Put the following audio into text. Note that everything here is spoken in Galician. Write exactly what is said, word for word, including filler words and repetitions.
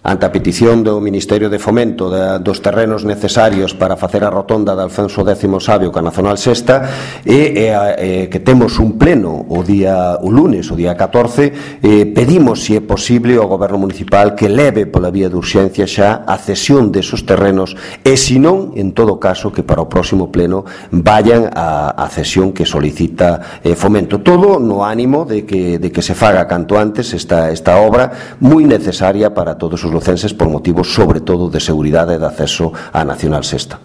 ante a petición do Ministerio de Fomento de, dos terrenos necesarios para facer a rotonda de Alfonso décimo Sabio ca Nacional Sexta, e, e, e que temos un pleno o día o lunes, o día catorce, eh, pedimos, se é posible, ao Goberno Municipal que leve pola vía de urxencia xa a cesión desos terrenos, e se non, en todo caso, que para o próximo pleno vayan a, a cesión que solicita eh, Fomento. Todo no ánimo de que, de que se faga canto antes esta, esta obra moi necesaria para todos os lucenses por motivos, sobre todo, de seguridade e de acceso á Nacional Sexta.